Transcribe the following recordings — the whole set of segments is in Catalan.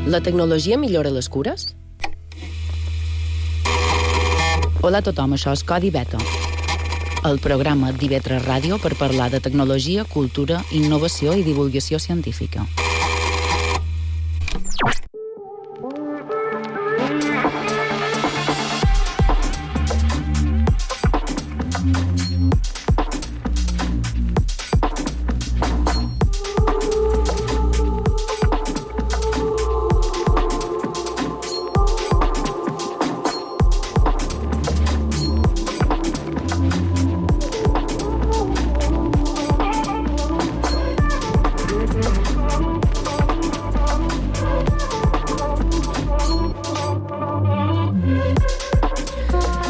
La tecnologia millora les cures? Hola a tothom, això és Codi Beta, el programa d'IV3 Ràdio per parlar de tecnologia, cultura, innovació i divulgació científica.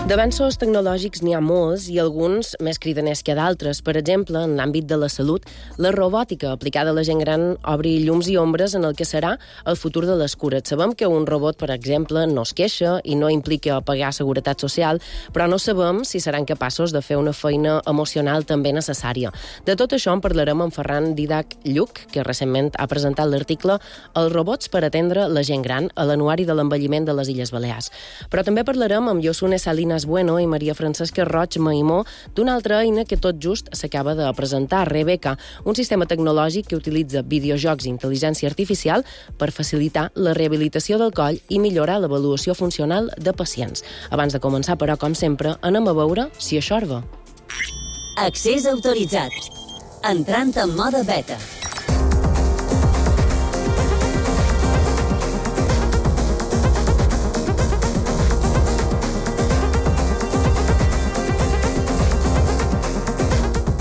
D'avenços tecnològics n'hi ha molts i alguns més cridaners que d'altres. Per exemple, en l'àmbit de la salut, la robòtica aplicada a la gent gran obre llums i ombres en el que serà el futur de les cures. Sabem que un robot, per exemple, no es queixa i no implica pagar seguretat social, però no sabem si seran capaços de fer una feina emocional també necessària. De tot això en parlarem amb Ferran Didac Lluch, que recentment ha presentat l'article Els robots per atendre la gent gran a l'Anuari de l'Envelliment de les Illes Balears. Però també parlarem amb Josune Salinas Bueno i Maria Francesca Roig Maimó d'una altra eina que tot just s'acaba de presentar, Rebecca, un sistema tecnològic que utilitza videojocs i intel·ligència artificial per facilitar la rehabilitació del coll i millorar l'avaluació funcional de pacients. Abans de començar, però, com sempre, anem a veure si això va. Accés autoritzat. Entrant en mode beta.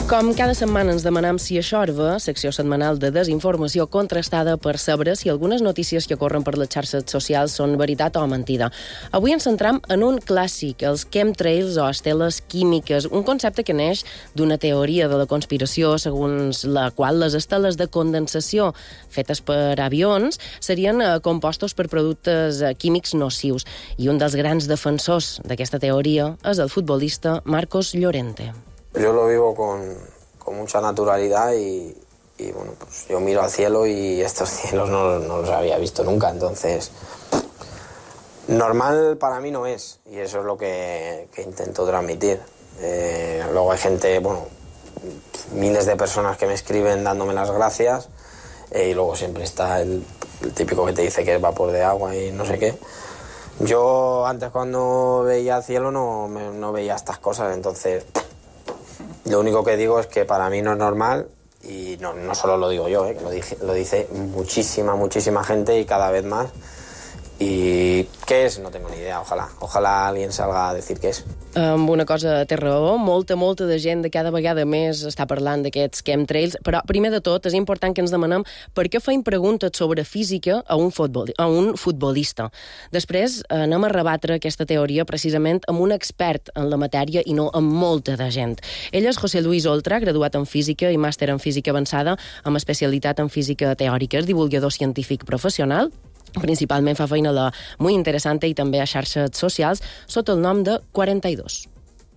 Com cada setmana ens demanem si això va, secció setmanal de desinformació contrastada per saber si algunes notícies que corren per les xarxes socials són veritat o mentida. Avui ens centram en un clàssic, els chemtrails o esteles químiques, un concepte que neix d'una teoria de la conspiració segons la qual les esteles de condensació fetes per avions serien compostos per productes químics nocius. I un dels grans defensors d'aquesta teoria és el futbolista Marcos Llorente. Yo lo vivo con mucha naturalidad y bueno, pues yo miro al cielo y estos cielos no los había visto nunca, entonces normal para mí no es, y eso es lo que intento transmitir. Luego hay gente, bueno, miles de personas que me escriben dándome las gracias, y luego siempre está el típico que te dice que es vapor de agua y no sé qué. Yo antes cuando veía el cielo no veía estas cosas, entonces lo único que digo es que para mí no es normal, y no solo lo digo yo, que lo dice muchísima gente y cada vez más. I què és? No tengo ni idea, ojalà alguien salga a decir què és. Amb una cosa té raó, molta de gent de cada vegada més està parlant d'aquests chemtrails, però primer de tot és important que ens demanem per què feim preguntes sobre física a un futbolista. Després anem a rebatre aquesta teoria precisament amb un expert en la matèria i no amb molta de gent. Ell és José Luis Oltra, graduat en física i màster en física avançada amb especialitat en física teòrica, és divulgador científic professional. Principalment fa feina a la Muy Interesante i també a xarxes socials sota el nom de 42.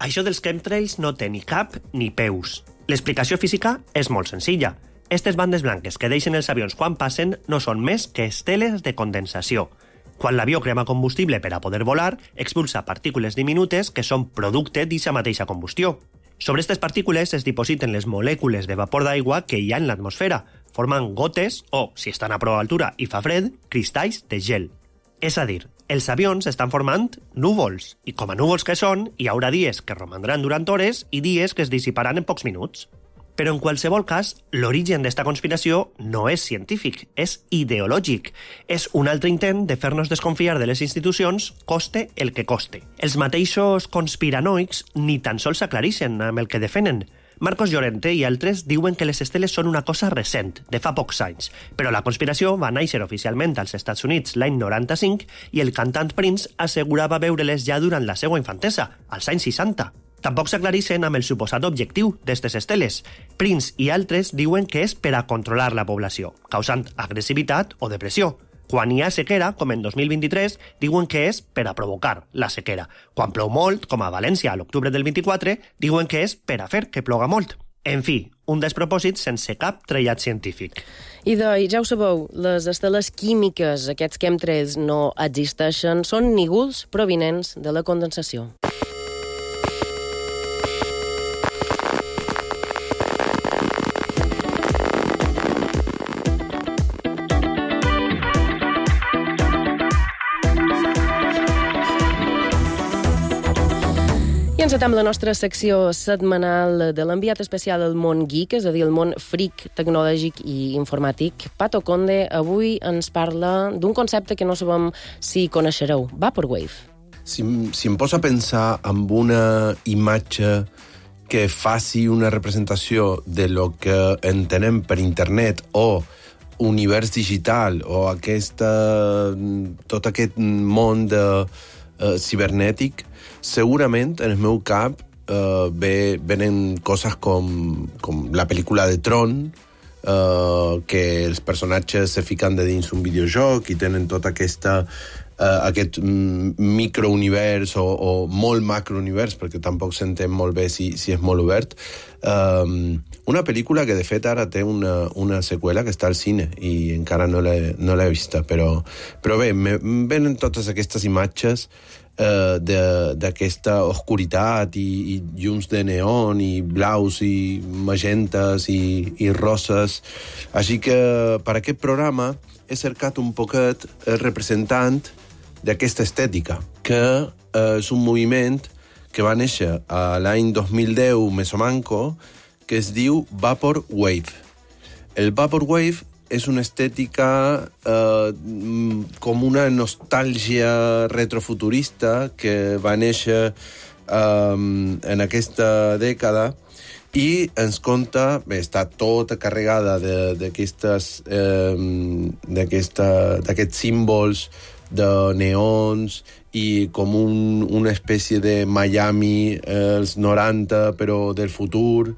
Això dels chemtrails no té ni cap ni peus. L'explicació física és molt senzilla. Estes bandes blanques que deixen els avions quan passen no són més que esteles de condensació. Quan l'avió crema combustible per a poder volar, expulsa partícules diminutes que són producte d'aquesta mateixa combustió. Sobre aquestes partícules es dipositen les molècules de vapor d'aigua que hi ha en l'atmosfera, formant gotes o, si estan a prou altura i fa fred, cristalls de gel. És a dir, els avions estan formant núvols, i com a núvols que són, hi haurà dies que romandran durant hores i dies que es dissiparan en pocs minuts. Però en qualsevol cas, l'origen d'esta conspiració no és científic, és ideològic. És un altre intent de fer-nos desconfiar de les institucions, coste el que coste. Els mateixos conspiranoics ni tan sols s'aclareixen amb el que defenen. Marcos Llorente i altres diuen que les esteles són una cosa recent, de fa pocs anys, però la conspiració va néixer oficialment als Estats Units l'any 95 i el cantant Prince assegurava veure-les ja durant la seva infantesa, als anys 60. Tampoc s'aclareixen amb el suposat objectiu d'aquestes esteles. Prince i altres diuen que és per a controlar la població, causant agressivitat o depressió. Quan hi ha sequera, com en 2023, diuen que és per a provocar la sequera. Quan plou molt, com a València a l'octubre del 24, diuen que és per a fer que ploga molt. En fi, un despropòsit sense cap trellat científic. I ja ho sabeu, les esteles químiques, aquests chemtrails, no existeixen, són nígols provinents de la condensació. I encetem la nostra secció setmanal de l'enviat especial al món geek, és a dir, el món freak tecnològic i informàtic. Pato Conde avui ens parla d'un concepte que no sabem si coneixereu, Vaporwave. Si em poso a pensar en una imatge que faci una representació de lo que entenem per internet o univers digital o tot aquest món cibernètic, segurament en el meu cap venen coses com la pel·lícula de Tron, que els personatges se fiquen de dins un videojoc i tenen tot aquest microunivers o molt macrounivers, perquè tampoc s'entén molt bé si és molt obert. Una pel·lícula que, de fet, ara té una seqüela que està al cine i encara no l'he vista, però bé, venen totes aquestes imatges d'aquesta oscuritat i llums de neon i blaus i magentes i roses. Així que per aquest programa he cercat un poquet el representant d'aquesta estètica, que és un moviment que va néixer a l'any 2010 més o manco, que es diu Vaporwave. El Vaporwave és una estètica com una nostàlgia retrofuturista que va néixer en aquesta dècada i ens conta, està tota carregada d'aquests símbols de neons i com una espècie de Miami als 90, però del futur.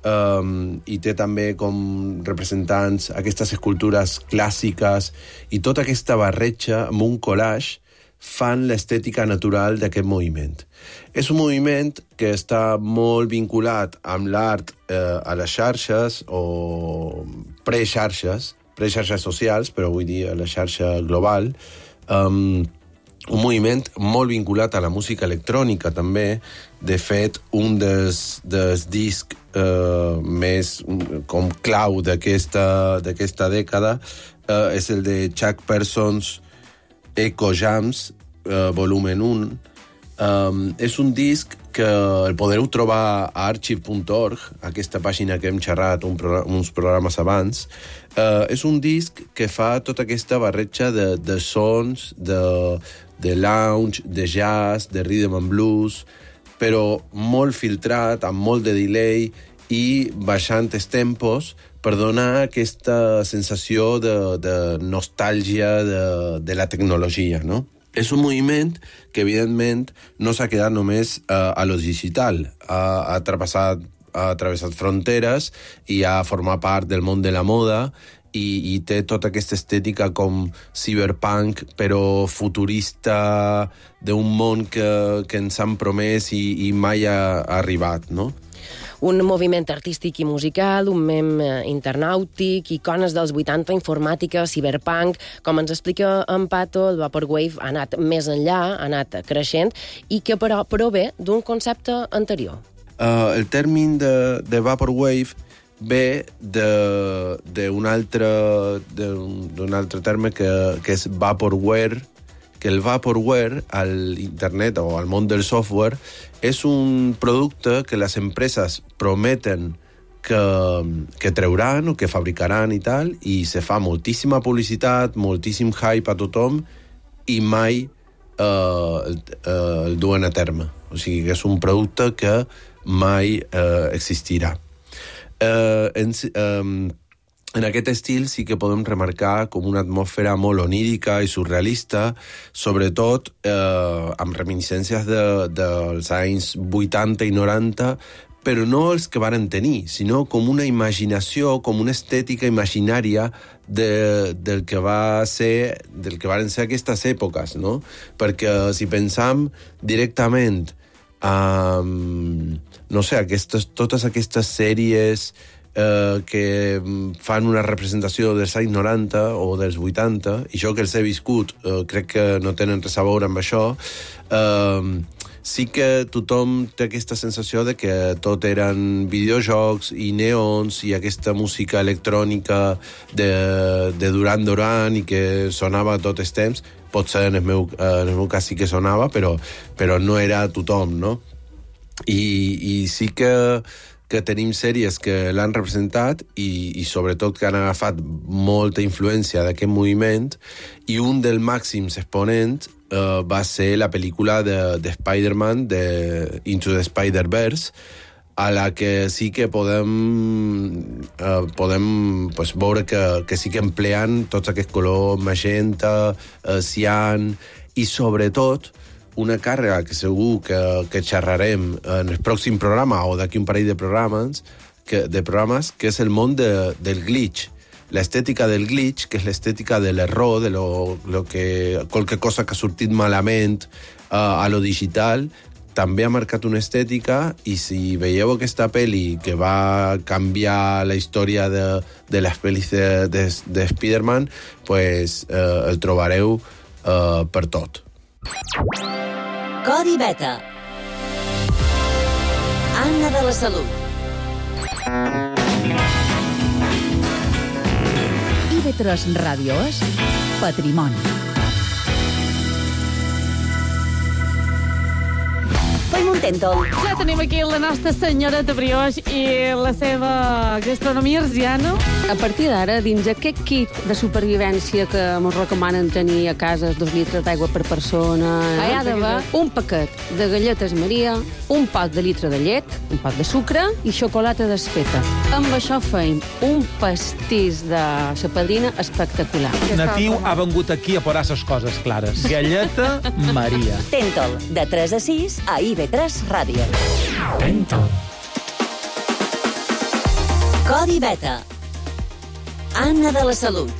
I té també com representants aquestes escultures clàssiques i tota aquesta barreja amb un collage fan l'estètica natural d'aquest moviment. És un moviment que està molt vinculat amb l'art a les xarxes o prexarxes socials, però vull dir a la xarxa global. Un moviment molt vinculat a la música electrònica també. De fet, un dels discs més com clau d'aquesta dècada és el de Chuck Persons Echo Jams, volumen 1. És un disc que el podreu trobar a archive.org, aquesta pàgina que hem xerrat uns programes abans. És un disc que fa tota aquesta barreja de sons, de lounge, de jazz, de rhythm and blues, però molt filtrat, amb molt de delay i baixant els tempos per donar aquesta sensació de nostàlgia de la tecnologia, no? És un moviment que, evidentment, no s'ha quedat només a lo digital. Ha travessat fronteres i ha format part del món de la moda i té tota aquesta estètica com cyberpunk, però futurista, d'un món que ens han promès i mai ha arribat, no? Un moviment artístic i musical, un mem internàutic, icones dels 80, informàtica, cyberpunk. Com ens explica en Pato, el Vaporwave ha anat més enllà, ha anat creixent, i que però prové d'un concepte anterior. El terme de Vaporwave ve d'un altre terme que és Vaporware, que el Vaporware a l'internet o al món del software és un producte que les empreses prometen que trauran o que fabricaran i tal, i se fa moltíssima publicitat, moltíssim hype a tothom i mai el duen a terme. O sigui que és un producte que mai existirà. En aquest estil sí que podem remarcar com una atmosfera molt onírica i surrealista, sobretot amb reminiscències dels anys 80 i 90, però no els que varen tenir, sinó com una imaginació, com una estètica imaginària del que varen ser aquestes èpoques, no? Perquè si pensam directament no sé, totes aquestes sèries que fan una representació dels anys 90 o dels 80, i jo que els he viscut crec que no tenen res a veure amb això. Sí que tothom té aquesta sensació de que tot eren videojocs i neons i aquesta música electrònica de Duran Duran i que sonava tot el temps. Potser en el meu cas sí que sonava, però no era tothom, no? I sí que tenim sèries que l'han representat i sobretot que han agafat molta influència d'aquest moviment, i un dels màxims exponents va ser la pel·lícula de Spider-Man, de Into the Spider-Verse, a la que sí que podem pues, veure que sí que empleen tots aquests colors magenta, cian, i sobretot una càrrega que segur que xerrarem en el pròxim programa o d'aquí un parell de programes, que és el món del glitch. L'estètica del glitch, que és l'estètica de l'error, de qualque cosa que ha sortit malament a lo digital, també ha marcat una estètica, i si veieu aquesta pel·li que va canviar la història de les pel·lis de Spider-Man, pues, el trobareu per tot. Codi Beta. Anna de la Salut. IB3 Ràdio és Patrimoni. Fem un tèntol. Ja tenim aquí la nostra senyoreta brioix i la seva gastronomia arsiana. A partir d'ara, dins aquest kit de supervivència que ens recomanen tenir a casa 2 litres d'aigua per persona, hi ha d'haver un paquet de galletes Maria, un pot de litre de llet, un pot de sucre i xocolata desfeta. Amb això feim un pastís de sa padrina espectacular. Natiu ha vengut aquí a posar les coses clares. Galleta Maria. Tèntol, de 3 a 6 a IB3 Ràdio. Tèntol. Codi Beta. Anna de la Salut.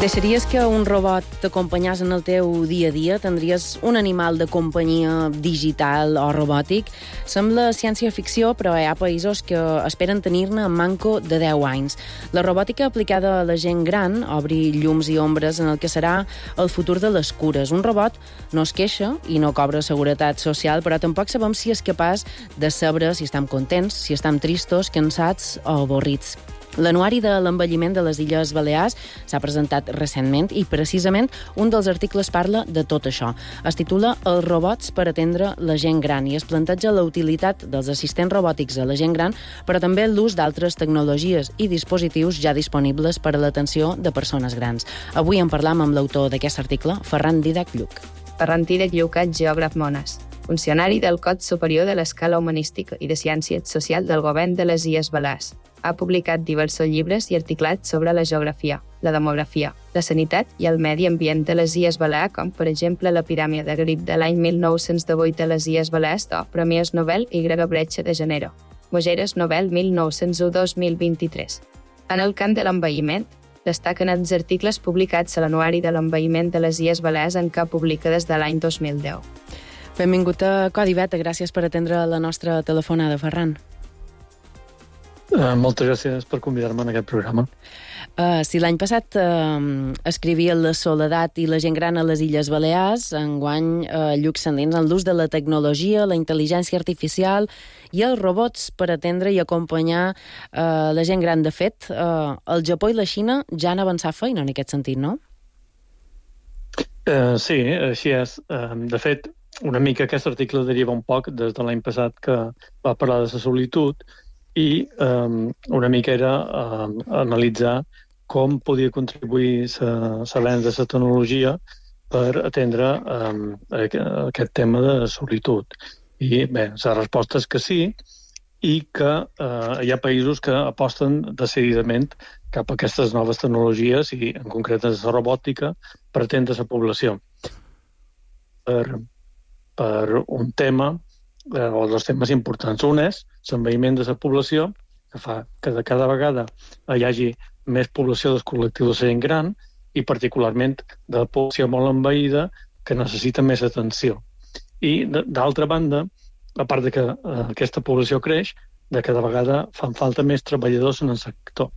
Deixaries que un robot t'acompanyés en el teu dia a dia? Tindries un animal de companyia digital o robòtic? Sembla ciència-ficció, però hi ha països que esperen tenir-ne en manco de 10 anys. La robòtica aplicada a la gent gran obri llums i ombres en el que serà el futur de les cures. Un robot no es queixa i no cobra seguretat social, però tampoc sabem si és capaç de saber si estem contents, si estem tristos, cansats o avorrits. L'anuari de l'envelliment de les Illes Balears s'ha presentat recentment i precisament un dels articles parla de tot això. Es titula Els robots per atendre la gent gran i es planteja la utilitat dels assistents robòtics a la gent gran, però també l'ús d'altres tecnologies i dispositius ja disponibles per a l'atenció de persones grans. Avui en parlam amb l'autor d'aquest article, Ferran Dídac Lluc. Ferran Dídac Lluc és geògraf mones, funcionari del Cos Superior de l'Escala Humanística i de Ciències Social del Govern de les Illes Balears. Ha publicat diversos llibres i articlats sobre la geografia, la demografia, la sanitat i el medi ambient de les Illes Balears, com per exemple l'epidèmia de grip de l'any 1918 a les Illes Balears o Premis Nobel Y. Bretxa de Janeiro, Mogeres Nobel 1901-2023. En el camp de l'envelliment, destaquen els articles publicats a l'Anuari de l'Envelliment de les Illes Balears en què publica des de l'any 2010. Benvingut a Codi Beta, gràcies per atendre la nostra telefonada, Ferran. Moltes gràcies per convidar-me en aquest programa. Si l'any passat escrivia La soledat i la gent gran a les Illes Balears, enguany Lluc s'endins en l'ús de la tecnologia, la intel·ligència artificial i els robots per atendre i acompanyar la gent gran. De fet, el Japó i la Xina ja han avançat feina en aquest sentit, no? Sí, així és. De fet, una mica aquest article deriva un poc des de l'any passat que va parlar de la solitud i una mica era analitzar com podia contribuir l'avenç de la tecnologia per atendre aquest tema de solitud. I bé, la resposta és que sí, i que hi ha països que aposten decididament cap a aquestes noves tecnologies i, en concret, la robòtica per atendre la població. Per un tema, o dos temes importants. Un és l'envelliment de la població, que fa que de cada vegada hi hagi més població del col·lectiu de la gent gran i, particularment, de la població molt envellida que necessita més atenció. I, d'altra banda, a part de que aquesta població creix, de cada vegada fan falta més treballadors en el sector.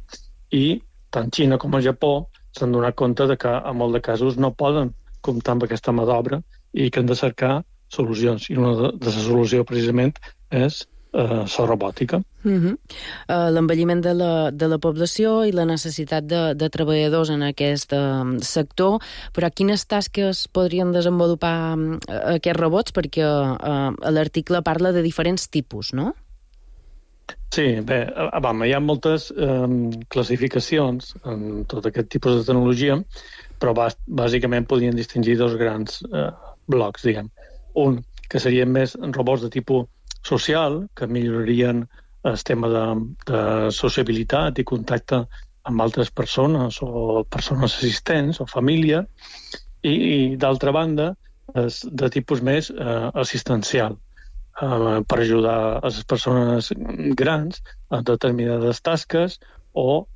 I tant Xina com el Japó s'han donat compte de que en molts de casos no poden comptar amb aquesta mà d'obra i que han de cercar solucions. I una de les solucions, precisament, és la robòtica. L'envelliment de la població i la necessitat de treballadors en aquest sector, però quines tasques podrien desenvolupar aquests robots? Perquè l'article parla de diferents tipus, no? Sí, bé, hi ha moltes classificacions en tot aquest tipus de tecnologia, però bàsicament podien distingir dos grans blocs, diguem. Un, que serien més robots de tipus social, que millorarien el tema de sociabilitat i contacte amb altres persones o persones assistents o família, i d'altra banda, és de tipus més assistencial, per ajudar a les persones grans a determinades tasques o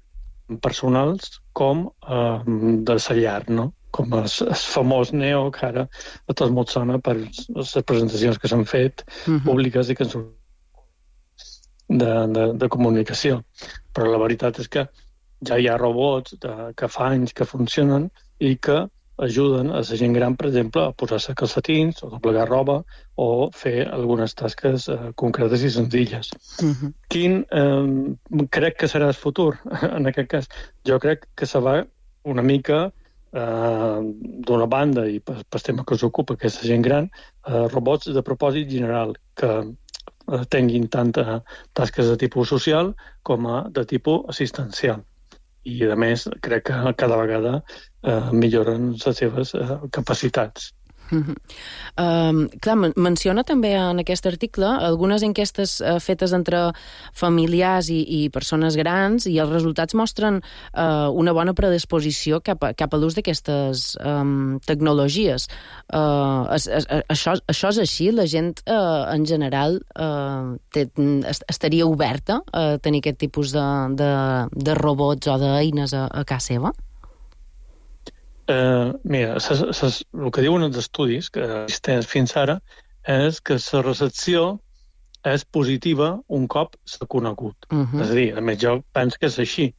personals com de la llar, no? Com el famós Neo, que ara a tots molt sona per les presentacions que s'han fet públiques i que han sortit de comunicació. Però la veritat és que ja hi ha robots que fa anys que funcionen i que ajuden a la gent gran, per exemple, a posar-se calcetins o doblegar roba o fer algunes tasques concretes i senzilles. Quin crec que serà el futur en aquest cas? Jo crec que se va una mica d'una banda, i per tema que us ocupa, que és la gent gran, robots de propòsit general, que tinguin tant tasques de tipus social com de tipus assistencial. I, a més, crec que cada vegada milloren les seves capacitats. Clar, menciona també en aquest article algunes enquestes fetes entre familiars i persones grans, i els resultats mostren una bona predisposició cap a l'ús d'aquestes tecnologies. Això és així? La gent en general estaria oberta a tenir aquest tipus de robots o d'eines a casa seva? Mira, el que diuen els estudis que existeixen fins ara és que la recepció és positiva un cop s'ha conegut. És a dir, a més, jo penso que és així.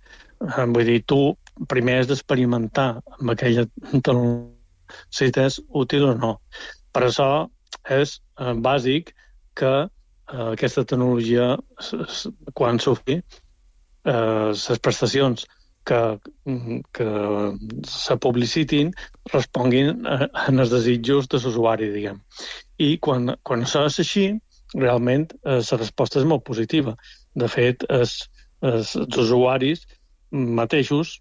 Vull dir, tu primer has d'experimentar amb aquella tecnologia si és útil o no. Per això és bàsic que aquesta tecnologia, quan surti, les prestacions que se publicitin responguin en els desitjos de l'usuari, diguem. I quan això és així, realment la resposta és molt positiva. De fet, els usuaris mateixos,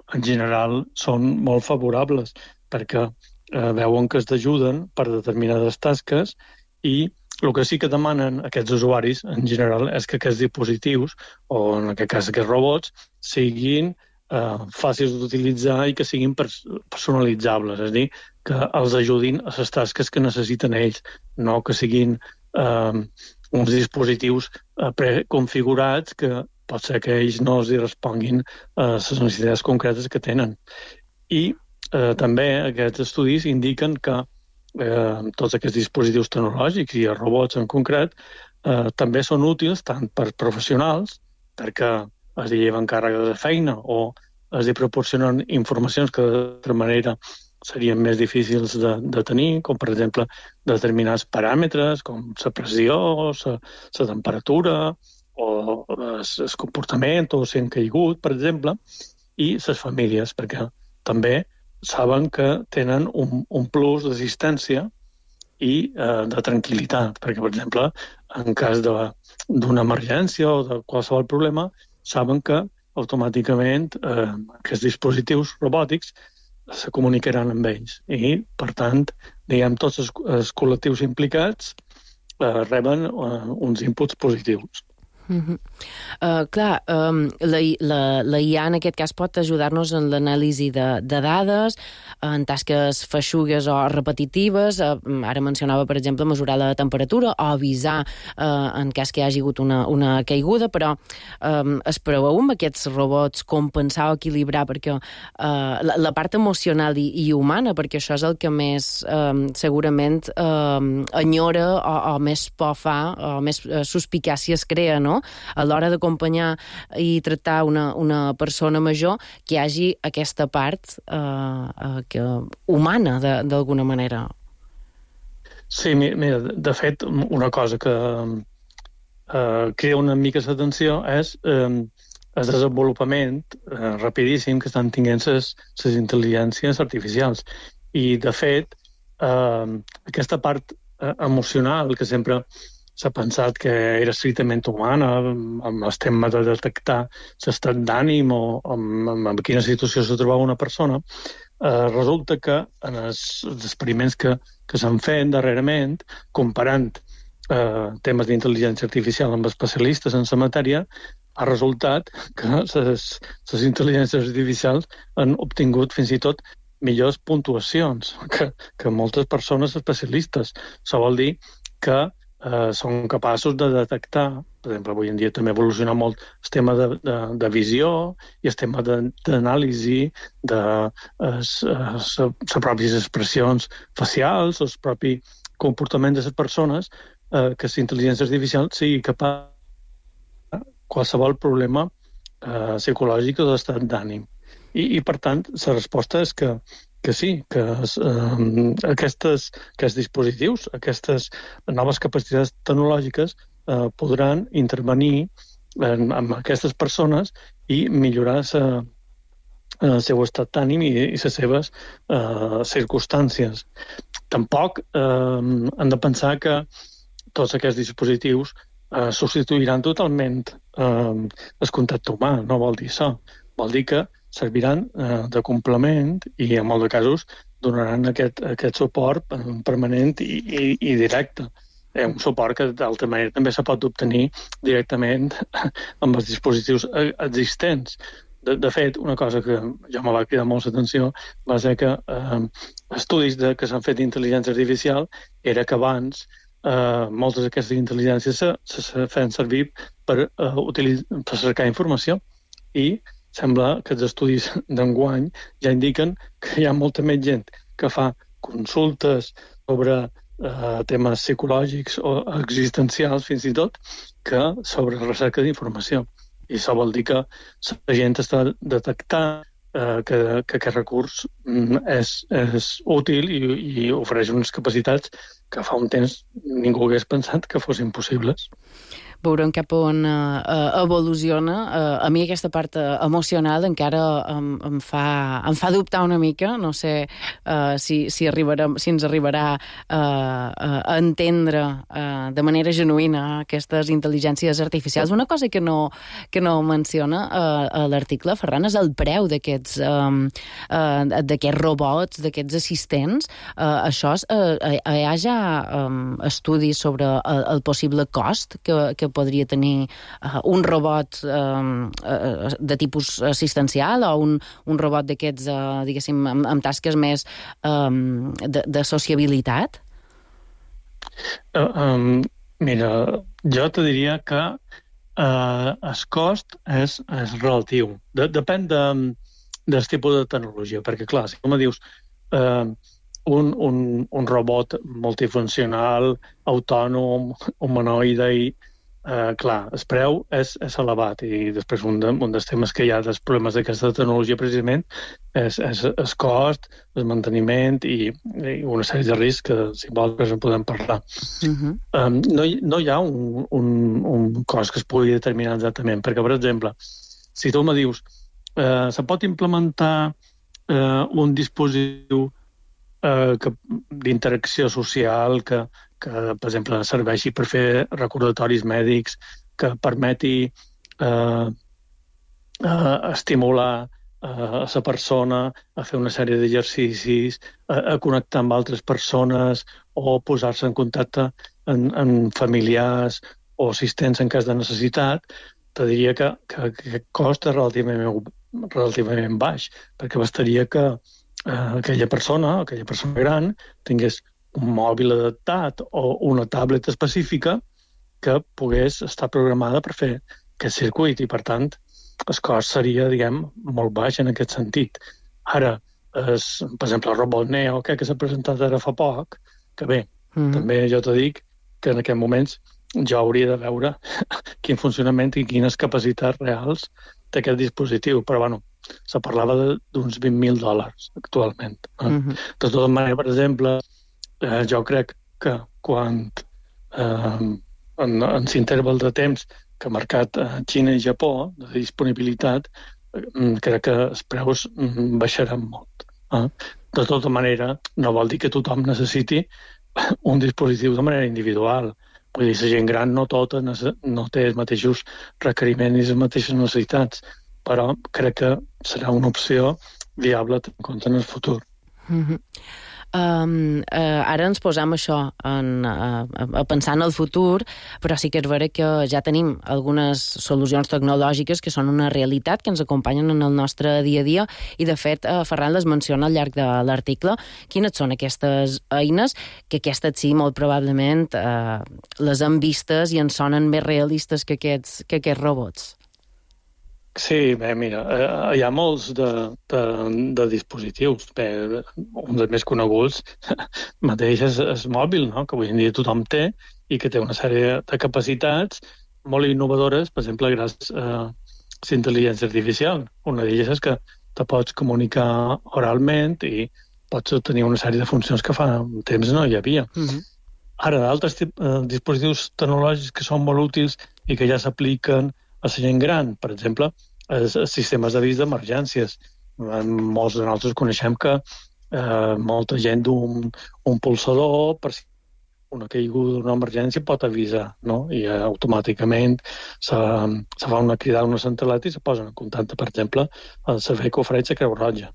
en general, són molt favorables, perquè veuen que es ajuden per determinades tasques, i el que sí que demanen aquests usuaris, en general, és que aquests dispositius, o en aquest cas aquests robots, siguin fàcils d'utilitzar i que siguin personalitzables, és a dir, que els ajudin a les tasques que necessiten ells, no que siguin uns dispositius preconfigurats que pot ser que ells no els responguin a les necessitats concretes que tenen. I també aquests estudis indiquen que tots aquests dispositius tecnològics i els robots en concret també són útils tant per professionals, perquè es lleven càrregues de feina o es proporcionen informacions que d'altra manera serien més difícils de tenir, com per exemple determinats paràmetres com la pressió, la temperatura o el comportament o si han caigut, per exemple, i les famílies, perquè també saben que tenen un plus d'assistència i de tranquil·litat, perquè, per exemple, en cas d'una emergència o de qualsevol problema, saben que automàticament aquests dispositius robòtics se comunicaran amb ells i, per tant, diguem, tots els col·lectius implicats reben uns inputs positius. Clar, la IA en aquest cas pot ajudar-nos en l'anàlisi de dades, en tasques feixugues o repetitives. Ara mencionava, per exemple, mesurar la temperatura o avisar en cas que hi hagi hagut una caiguda, però es preveu amb aquests robots compensar o equilibrar perquè la part emocional i humana, perquè això és el que més segurament enyora o més por fa, o més suspicàcia es crea, no? A l'hora d'acompanyar i tractar una persona major, que hi hagi aquesta part humana, d'alguna manera. Sí, mira, de fet, una cosa que crea una mica l'atenció és el desenvolupament rapidíssim que estan tenint les intel·ligències artificials. I, de fet, aquesta part emocional que sempre s'ha pensat que era estrictament humana, amb el tema de detectar l'estat d'ànim o en quina situació se trobava una persona, resulta que en els experiments que s'han fet darrerament, comparant temes d'intel·ligència artificial amb especialistes en la matèria, ha resultat que les intel·ligències artificials han obtingut fins i tot millors puntuacions que moltes persones especialistes. Això vol dir que són capaços de detectar, per exemple, avui en dia també ha evolucionat molt el tema de visió i el tema d'anàlisi de les pròpies expressions facials, el propi comportament de les persones, que la intel·ligència artificial sigui capaç de qualsevol problema psicològic o d'estat d'ànim. I, per tant, la resposta és que sí, que aquests dispositius, aquestes noves capacitats tecnològiques podran intervenir amb aquestes persones i millorar el seu estat d'ànim i les seves circumstàncies. Tampoc hem de pensar que tots aquests dispositius substituiran totalment el contacte humà. No vol dir això. Vol dir que serviran de complement i en molts casos donaran aquest suport permanent i directe. Un suport que d'altra manera també se pot obtenir directament amb els dispositius existents. De fet, una cosa que ja me va cridar molt l'atenció va ser que estudis que s'han fet d'intel·ligència artificial era que abans moltes d'aquestes intel·ligències se feien servir per cercar informació i sembla que els estudis d'enguany ja indiquen que hi ha molta més gent que fa consultes sobre temes psicològics o existencials, fins i tot, que sobre recerca d'informació. I això vol dir que la gent està detectant que aquest recurs és útil i ofereix unes capacitats que fa un temps ningú hagués pensat que fossin possibles. Veurem cap on evoluciona. A mi aquesta part emocional encara em fa dubtar una mica. No sé si ens arribarà a entendre de manera genuïna aquestes intel·ligències artificials. Una cosa que no menciona a l'article, Ferran, és el preu d'aquests robots, d'aquests assistents. Això hi ha ja estudis sobre el possible cost que podria tenir un robot de tipus assistencial o un robot d'aquests, diguéssim, amb tasques més de sociabilitat? Mira, jo te diria que el cost és relatiu. Depèn del tipus de tecnologia, perquè, clar, si tu me dius un robot multifuncional, autònom, humanoide i clar, el preu és elevat i després un dels temes que hi ha dels problemes d'aquesta tecnologia precisament és el cost, el manteniment i una sèrie de riscs que si vols en podem parlar. No hi ha un cost que es pugui determinar exactament, perquè, per exemple, si tu me dius se pot implementar un dispositiu d'interacció social que, per exemple, serveixi per fer recordatoris mèdics, que permeti estimular a la persona a fer una sèrie d'exercicis, a connectar amb altres persones o posar-se en contacte amb familiars o assistents en cas de necessitat, te diria que aquest cost és relativament baix, perquè bastaria que aquella persona gran, tingués un mòbil adaptat o una tablet específica que pogués estar programada per fer aquest circuit i, per tant, el cost seria, diguem, molt baix en aquest sentit. Ara, per exemple, el robot Neo, que s'ha presentat ara fa poc, que bé, també jo t'ho dic que en aquests moments jo hauria de veure quin funcionament i quines capacitats reals té aquest dispositiu, però bueno, se parlava d'uns $20.000 actualment. De tota manera, per exemple, jo crec que quan en l'interval de temps que ha marcat Xina i Japó de disponibilitat, crec que els preus baixaran molt. De tota manera, no vol dir que tothom necessiti un dispositiu de manera individual. Vull dir, la gent gran no tota no té els mateixos requeriments i les mateixes necessitats, però crec que serà una opció viable en compte en el futur. Ara ens posam això a pensar en el futur, però sí que és vera que ja tenim algunes solucions tecnològiques que són una realitat, que ens acompanyen en el nostre dia a dia, i de fet Ferran les menciona al llarg de l'article. Quines són aquestes eines que aquestes sí, molt probablement les hem vistes i ens sonen més realistes que aquests robots? Sí, bé, mira, hi ha molts de dispositius. Bé, un dels més coneguts mateix és el mòbil, no? Que avui en dia tothom té i que té una sèrie de capacitats molt innovadores, per exemple, gràcies a la intel·ligència artificial. Una d'elles és que te pots comunicar oralment i pots obtenir una sèrie de funcions que fa un temps no hi havia. Ara, d'altres dispositius tecnològics que són molt útils i que ja s'apliquen a la gent gran, per exemple, els sistemes d'avís d'emergències. Molts de nosaltres coneixem que molta gent d'un pulsador, per si una caiguda d'una emergència, pot avisar, no? I automàticament se fa una cridada a una centraleta i se posen en contacte, per exemple, el servei que ofereix la Creu Roja.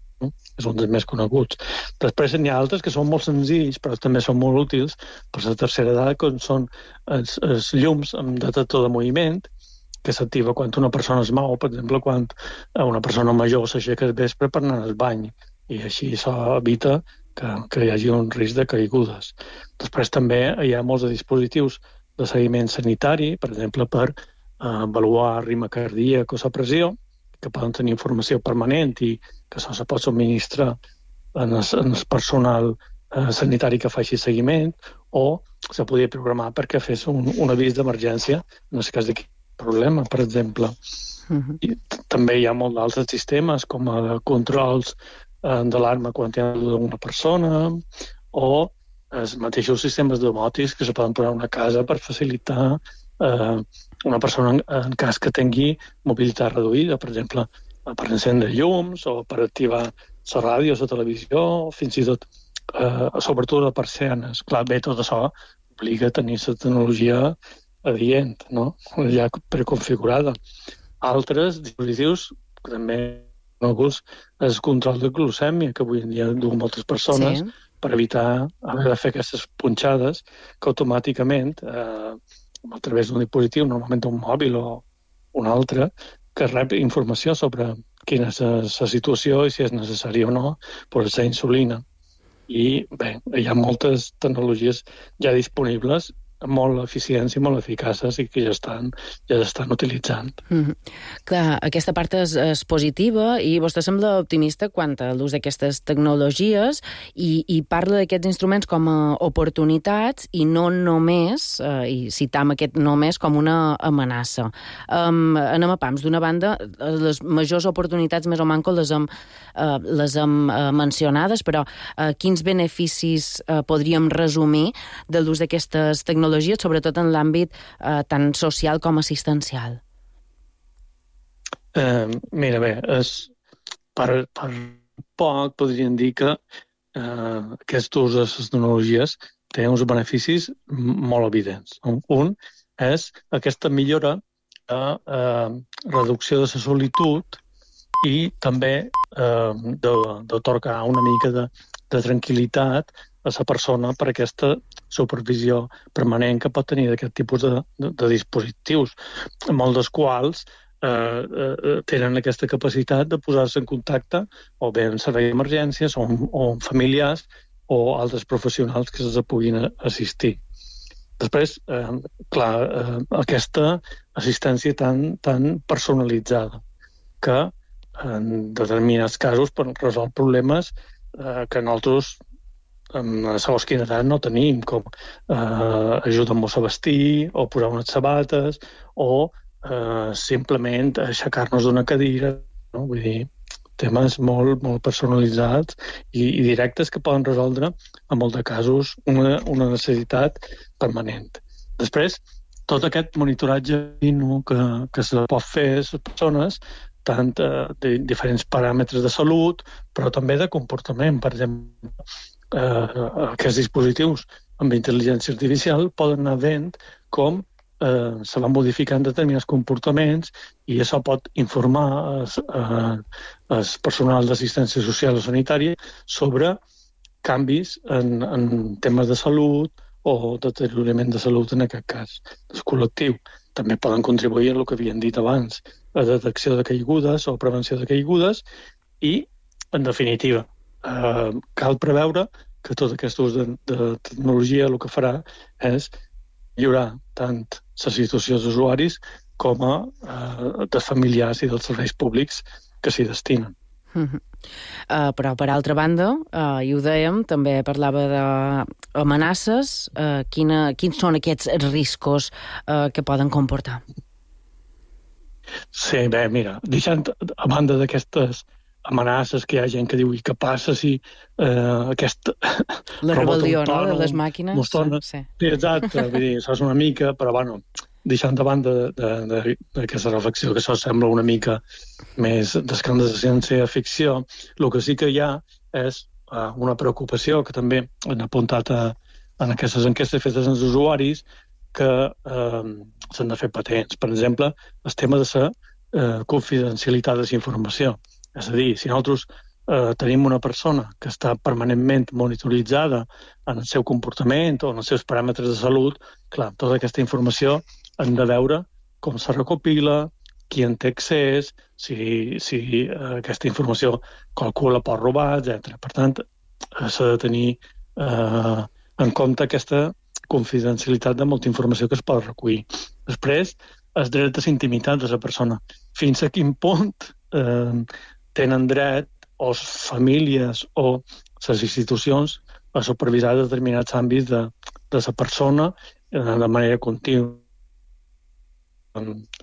És un dels més coneguts. Després n'hi ha altres que són molt senzills, però també són molt útils per la tercera edat, com són els llums amb detector de moviment, que s'activa quan una persona es mou, per exemple, quan una persona major s'aixeca al vespre per anar al bany, i així s'evita que hi hagi un risc de caigudes. Després també hi ha molts de dispositius de seguiment sanitari, per exemple, per avaluar ritme cardíac o la pressió, que poden tenir informació permanent i que això se pot subministrar en el personal sanitari que faci seguiment, o se podria programar perquè fes un avís d'emergència en el cas de problema, per exemple. I també hi ha molts d'altres sistemes, com controls d'alarma quan hi ha una persona, o els mateixos sistemes domòtics que se poden posar a una casa per facilitar una persona en cas que tingui mobilitat reduïda, per exemple, per encendre llums o per activar la ràdio, la televisió, fins i tot, sobretot les persianes. Clar, bé, tot això obliga a tenir la tecnologia adient, no? Ja preconfigurada. Altres dispositius que també coneguts és el control de glucèmia, que avui en dia duen moltes persones, per evitar haver de fer aquestes punxades que automàticament, a través d'un dispositiu, normalment un mòbil o un altre, que rep informació sobre quina és la situació i si és necessari o no posar insulina. I bé, hi ha moltes tecnologies ja disponibles amb molt eficiència i molt eficaces i que ja estan utilitzant. Clar, aquesta part és positiva i vostè sembla optimista quant a l'ús d'aquestes tecnologies i parla d'aquests instruments com a oportunitats i no només, i citam aquest només com una amenaça. Anem a pams. D'una banda, les majors oportunitats més o manco les hem mencionades, però quins beneficis podríem resumir de l'ús d'aquestes tecnologies, sobretot en l'àmbit tant social com assistencial? Mira, bé, per poc podríem dir que aquest ús de les tecnologies té uns beneficis molt evidents. Un és aquesta millora de reducció de la solitud i també d'atorgar una mica de tranquil·litat a la persona per aquesta supervisió permanent que pot tenir d'aquest tipus de dispositius, molts dels quals tenen aquesta capacitat de posar-se en contacte o bé en servei d'emergències o amb familiars o altres professionals que se'ls puguin assistir. Després, aquesta assistència tan personalitzada que en determinats casos pot resoldre problemes que nosaltres en segons quina edat no tenim, com ajudar-nos a vestir o posar unes sabates o simplement aixecar-nos d'una cadira, no? Vull dir, temes molt, molt personalitzats i directes que poden resoldre, en molts de casos, una necessitat permanent. Després, tot aquest monitoratge que se pot fer a les persones, tant de diferents paràmetres de salut, però també de comportament. Per exemple, aquests dispositius amb intel·ligència artificial poden anar veient com se van modificant determinats comportaments i això pot informar el personal d'assistència social o sanitària sobre canvis en temes de salut o deteriorament de salut, en aquest cas, del col·lectiu. També poden contribuir a el que havien dit abans, a detecció de caigudes o prevenció de caigudes i, en definitiva, cal preveure que tot aquest ús de tecnologia el que farà és millorar tant la situació dels usuaris com a dels familiars i dels serveis públics que s'hi destinen. Però, per altra banda, i ho dèiem, també parlava d'amenaces. Quins són aquests riscos que poden comportar? Sí, bé, mira, deixant a banda d'aquestes amenaces que hi ha gent que diu i què passa si aquest la rebel·lió, no?, de les màquines. Sí, exacte, vull dir, això és una mica, però bueno, deixant de banda d'aquesta reflexió, que això sembla una mica més d'escàndol de ciència-ficció, el que sí que hi ha és una preocupació que també han apuntat en aquestes enquestes fetes als usuaris que s'han de fer patents. Per exemple, el tema de la confidencialitat de la informació. És a dir, si nosaltres tenim una persona que està permanentment monitoritzada en el seu comportament o en els seus paràmetres de salut, clar, tota aquesta informació hem de veure com se recopila, qui en té accés, si aquesta informació qualcú la pot robar, etc. Per tant, s'ha de tenir en compte aquesta confidencialitat de molta informació que es pot recollir. Després, el dret de la intimitat de la persona. Fins a quin punt tenen dret o famílies o les institucions a supervisar determinats àmbits de la persona de manera contínua.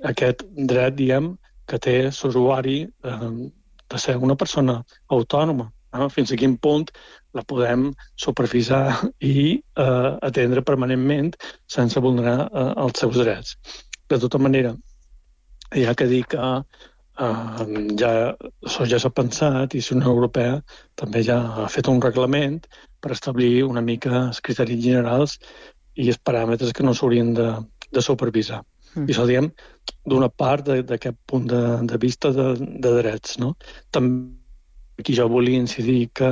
Aquest dret, diguem, que té l'usuari de ser una persona autònoma. Fins a quin punt la podem supervisar i atendre permanentment sense vulnerar els seus drets. De tota manera, hi ha que dir que això ja s'ha pensat i la Unió Europea també ja ha fet un reglament per establir una mica els criteris generals i els paràmetres que no s'haurien de supervisar. I això, diguem, d'una part d'aquest punt de vista de drets, no? També aquí jo volia incidir que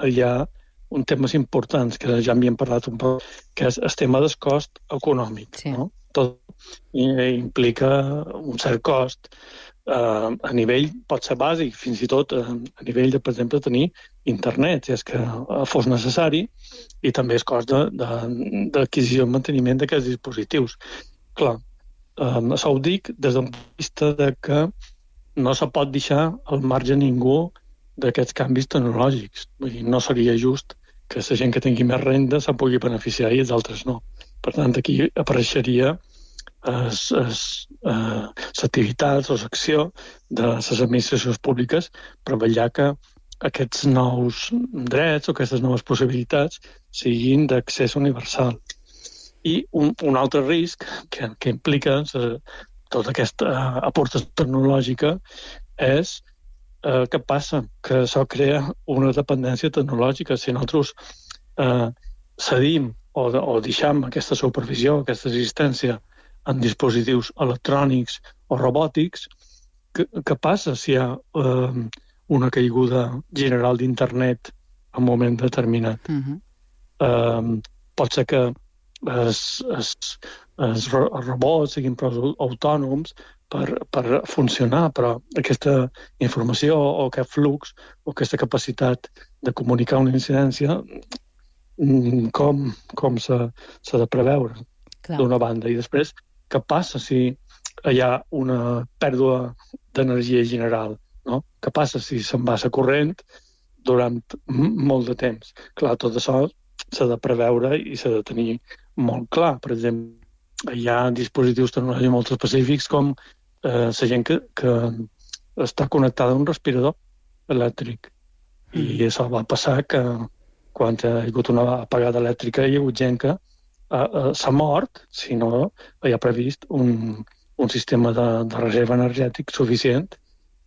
hi ha un temes importants que ja m'hi hem parlat un poc, que és el tema del cost econòmic. Sí. No? Tot implica un cert cost a nivell, pot ser bàsic, fins i tot a nivell de, per exemple, tenir internet, si és que fos necessari, i també el cost d'adquisició i manteniment d'aquests dispositius. Clar, això ho dic des d'un punt de vista de que no se pot deixar al marge ningú d'aquests canvis tecnològics. Vull dir, no seria just que la gent que tingui més renda se'n pugui beneficiar i els altres no. Per tant, aquí apareixeria les activitats o l'acció de les administracions públiques per vetllar que aquests nous drets o aquestes noves possibilitats siguin d'accés universal. I un altre risc que implica tota aquesta aportació tecnològica és què passa? Que això crea una dependència tecnològica. Si nosaltres cedim o deixem aquesta supervisió, aquesta assistència en dispositius electrònics o robòtics, què passa si hi ha una caiguda general d'internet en un moment determinat? pot ser que els robots siguin prou autònoms per funcionar, però aquesta informació o aquest flux o aquesta capacitat de comunicar una incidència com s'ha de preveure d'una banda. I després, què passa si hi ha una pèrdua d'energia general? No? Què passa si se'n va la corrent durant molt de temps? Clar, tot això s'ha de preveure i s'ha de tenir molt clar. Per exemple, hi ha dispositius tecnològics molt específics com la gent que està connectada a un respirador elèctric. I això va passar que quan hi ha hagut una apagada elèctrica hi ha hagut gent que s'ha mort si no hi ha previst un sistema de reserva energètic suficient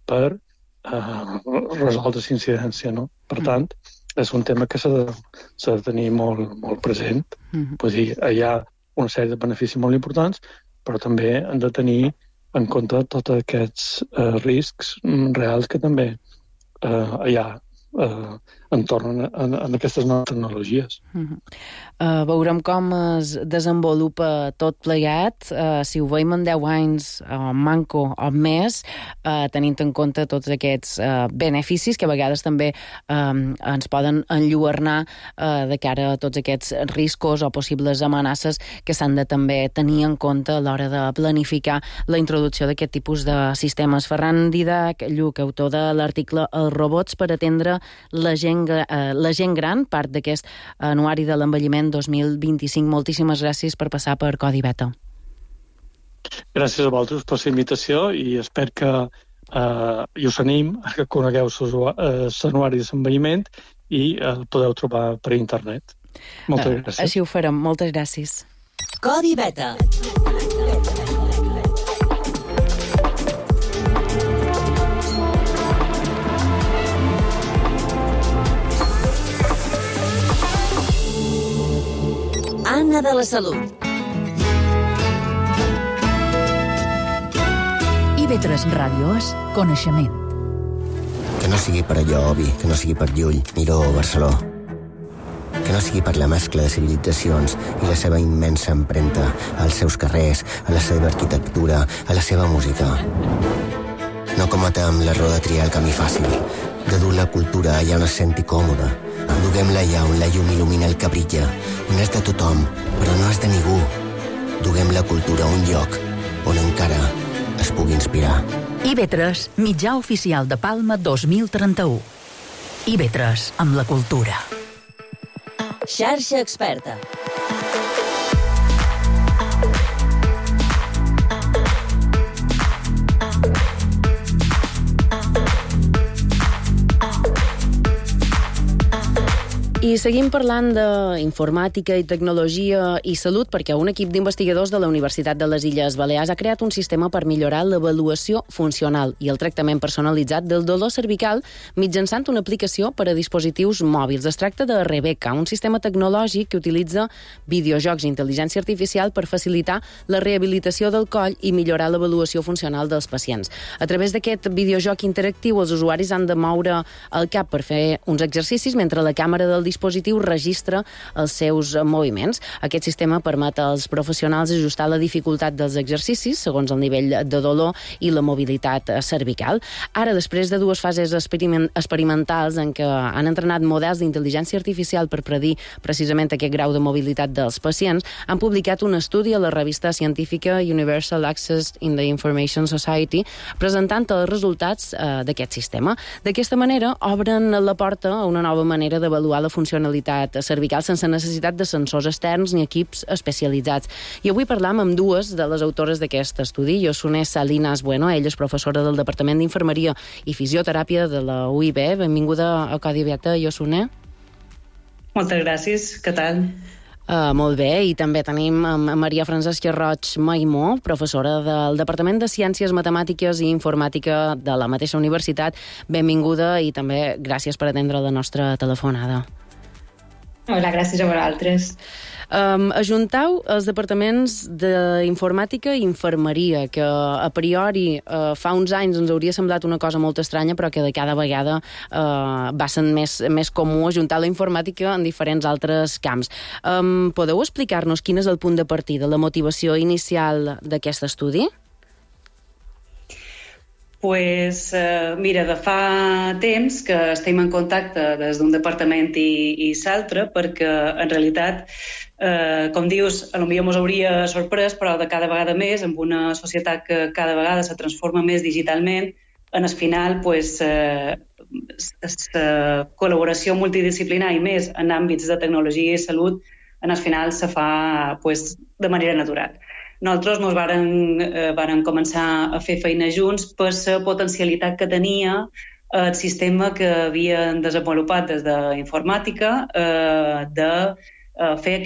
per resoldre la incidència. No? Per tant, és un tema que s'ha de tenir molt present. Vull dir, hi ha una sèrie de beneficis molt importants, però també han de tenir en compte tots aquests riscs reals que també hi ha entorn a aquestes noves tecnologies. Veurem com es desenvolupa tot plegat, si ho veiem en 10 anys manco o més, tenint en compte tots aquests beneficis que a vegades també ens poden enlluernar de cara a tots aquests riscos o possibles amenaces que s'han de també tenir en compte a l'hora de planificar la introducció d'aquest tipus de sistemes. Ferran Didac Lluc, autor de l'article Els robots per atendre la gent gran, part d'aquest anuari de l'envelliment 2025. Moltíssimes gràcies per passar per Codi Beta. Gràcies a vosaltres per la invitació i espero que us anim a que conegueu l'anuari de l'envelliment i el podeu trobar per internet. Moltes gràcies. Així ho farem. Moltes gràcies. Codi Beta. Anna de la Salut. IB3 Ràdio és coneixement. Que no sigui per allò obvi, que no sigui per Llull, Miró o Barceló. Que no sigui per la mescla de civilitzacions i la seva immensa empremta als seus carrers, a la seva arquitectura, a la seva música. No cometem l'error de triar el camí fàcil, de dur la cultura allà on es senti còmoda. Duguem-la allà on la llum il·lumina el que brilla, on és de tothom, però no és de ningú. Duguem la cultura a un lloc on encara es pugui inspirar. IB3, mitjà oficial de Palma 2031. IB3, amb la cultura. Xarxa Experta. I seguim parlant d'informàtica i tecnologia i salut perquè un equip d'investigadors de la Universitat de les Illes Balears ha creat un sistema per millorar l'avaluació funcional i el tractament personalitzat del dolor cervical mitjançant una aplicació per a dispositius mòbils. Es tracta de Rebecca, un sistema tecnològic que utilitza videojocs i intel·ligència artificial per facilitar la rehabilitació del coll i millorar l'avaluació funcional dels pacients. A través d'aquest videojoc interactiu, els usuaris han de moure el cap per fer uns exercicis mentre la càmera del dispositiu registra els seus moviments. Aquest sistema permet als professionals ajustar la dificultat dels exercicis segons el nivell de dolor i la mobilitat cervical. Ara, després de 2 fases experimentals en què han entrenat models d'intel·ligència artificial per predir precisament aquest grau de mobilitat dels pacients, han publicat un estudi a la revista científica Universal Access in the Information Society presentant els resultats d'aquest sistema. D'aquesta manera, obren la porta a una nova manera d'avaluar la funcionalitat cervical sense necessitat de sensors externs ni equips especialitzats. I avui parlam amb 2 de les autores d'aquest estudi. Yosune Salinas Bueno, ella és professora del Departament d'Infermeria i Fisioteràpia de la UIB. Benvinguda a Codi Beta, Yosune. Moltes gràcies. Què tal? Molt bé, i també tenim Maria Francesca Roig Maimó, professora del Departament de Ciències Matemàtiques i Informàtica de la mateixa universitat. Benvinguda i també gràcies per atendre la nostra telefonada. Hola, gràcies a vosaltres. Ajuntau els departaments d'informàtica i infermeria, que a priori fa uns anys ens hauria semblat una cosa molt estranya, però que de cada vegada va sent més comú ajuntar la informàtica en diferents altres camps. Podeu explicar-nos quin és el punt de partida, la motivació inicial d'aquest estudi? Pues, mira, de fa temps que estem en contacte des d'un departament i l'altre, perquè en realitat, com dius, potser ens hauria sorprès, però de cada vegada més, amb una societat que cada vegada se transforma més digitalment, en el final, la col·laboració multidisciplinar i més en àmbits de tecnologia i salut, en el final se fa de manera natural. Nosaltres ens vàrem començar a fer feina junts per la potencialitat que tenia el sistema que havien desenvolupat des d'informàtica de fer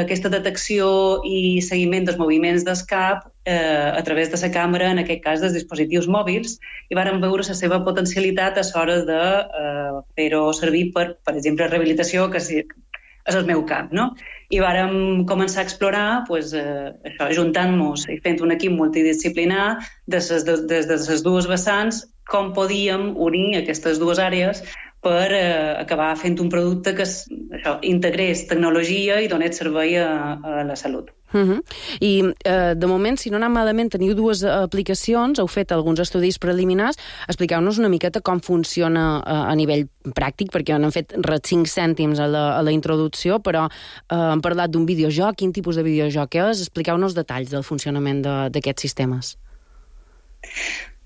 aquesta detecció i seguiment dels moviments del cap a través de la càmera, en aquest cas dels dispositius mòbils, i vàrem veure la seva potencialitat a l'hora de fer-ho servir per exemple, rehabilitació, que és el meu camp, no? I vàrem començar a explorar, això, ajuntant-nos i fent un equip multidisciplinar des de les dues vessants, com podíem unir aquestes dues àrees per acabar fent un producte que integrés tecnologia i donés servei a la salut. I de moment, si no anem malament, teniu dues aplicacions, heu fet alguns estudis preliminars. Expliqueu-nos una miqueta com funciona a nivell pràctic, perquè han fet 5 cèntims a la introducció, però hem parlat d'un videojoc. Quin tipus de videojoc és? Expliqueu-nos detalls del funcionament d'aquests sistemes.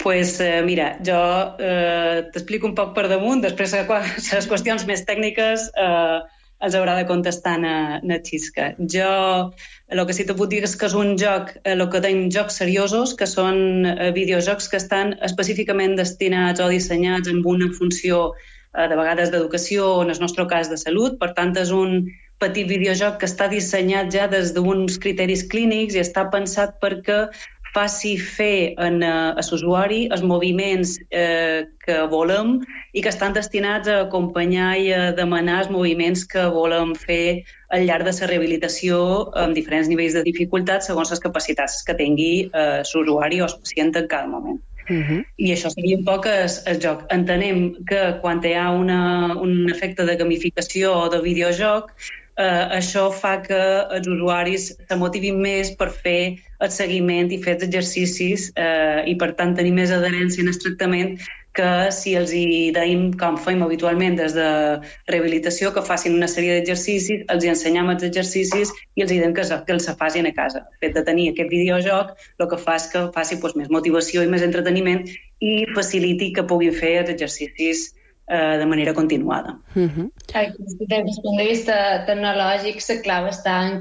Mira, jo t'explico un poc per damunt, després les qüestions més tècniques els haurà de contestar na Xisca. Jo el que sí te puc dir és que és un joc, el que tenim jocs seriosos, que són videojocs que estan específicament destinats o dissenyats amb una funció de vegades d'educació o en el nostre cas de salut. Per tant, és un petit videojoc que està dissenyat ja des d'uns criteris clínics i està pensat perquè faci fer a l'usuari els moviments que volem i que estan destinats a acompanyar i a demanar els moviments que volem fer al llarg de la rehabilitació amb diferents nivells de dificultat segons les capacitats que tingui l'usuari o el pacient en cada moment. I això seria un poc el joc. Entenem que quan hi ha un efecte de gamificació o de videojoc, això fa que els usuaris se motivin més per fer el seguiment i fer els exercicis i, per tant, tenir més adherència en el tractament que si els hi deim, com fem habitualment des de rehabilitació, que facin una sèrie d'exercicis, els hi ensenyam els exercicis i els hi diem que els facin a casa. El fet de tenir aquest videojoc el que fa és que faci més motivació i més entreteniment i faciliti que puguin fer els exercicis de manera continuada. Des del punt de vista tecnològic, la clau està en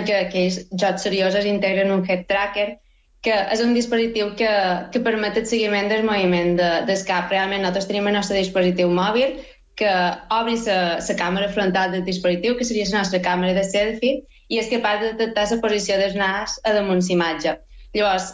que aquells jocs seriosos integren un head tracker, que és un dispositiu que permet el seguiment del moviment del cap. Realment, nosaltres tenim el nostre dispositiu mòbil que obri la càmera frontal del dispositiu, que seria la nostra càmera de selfie, i és capaç de detectar la posició del nas a damunt l'imatge. Llavors,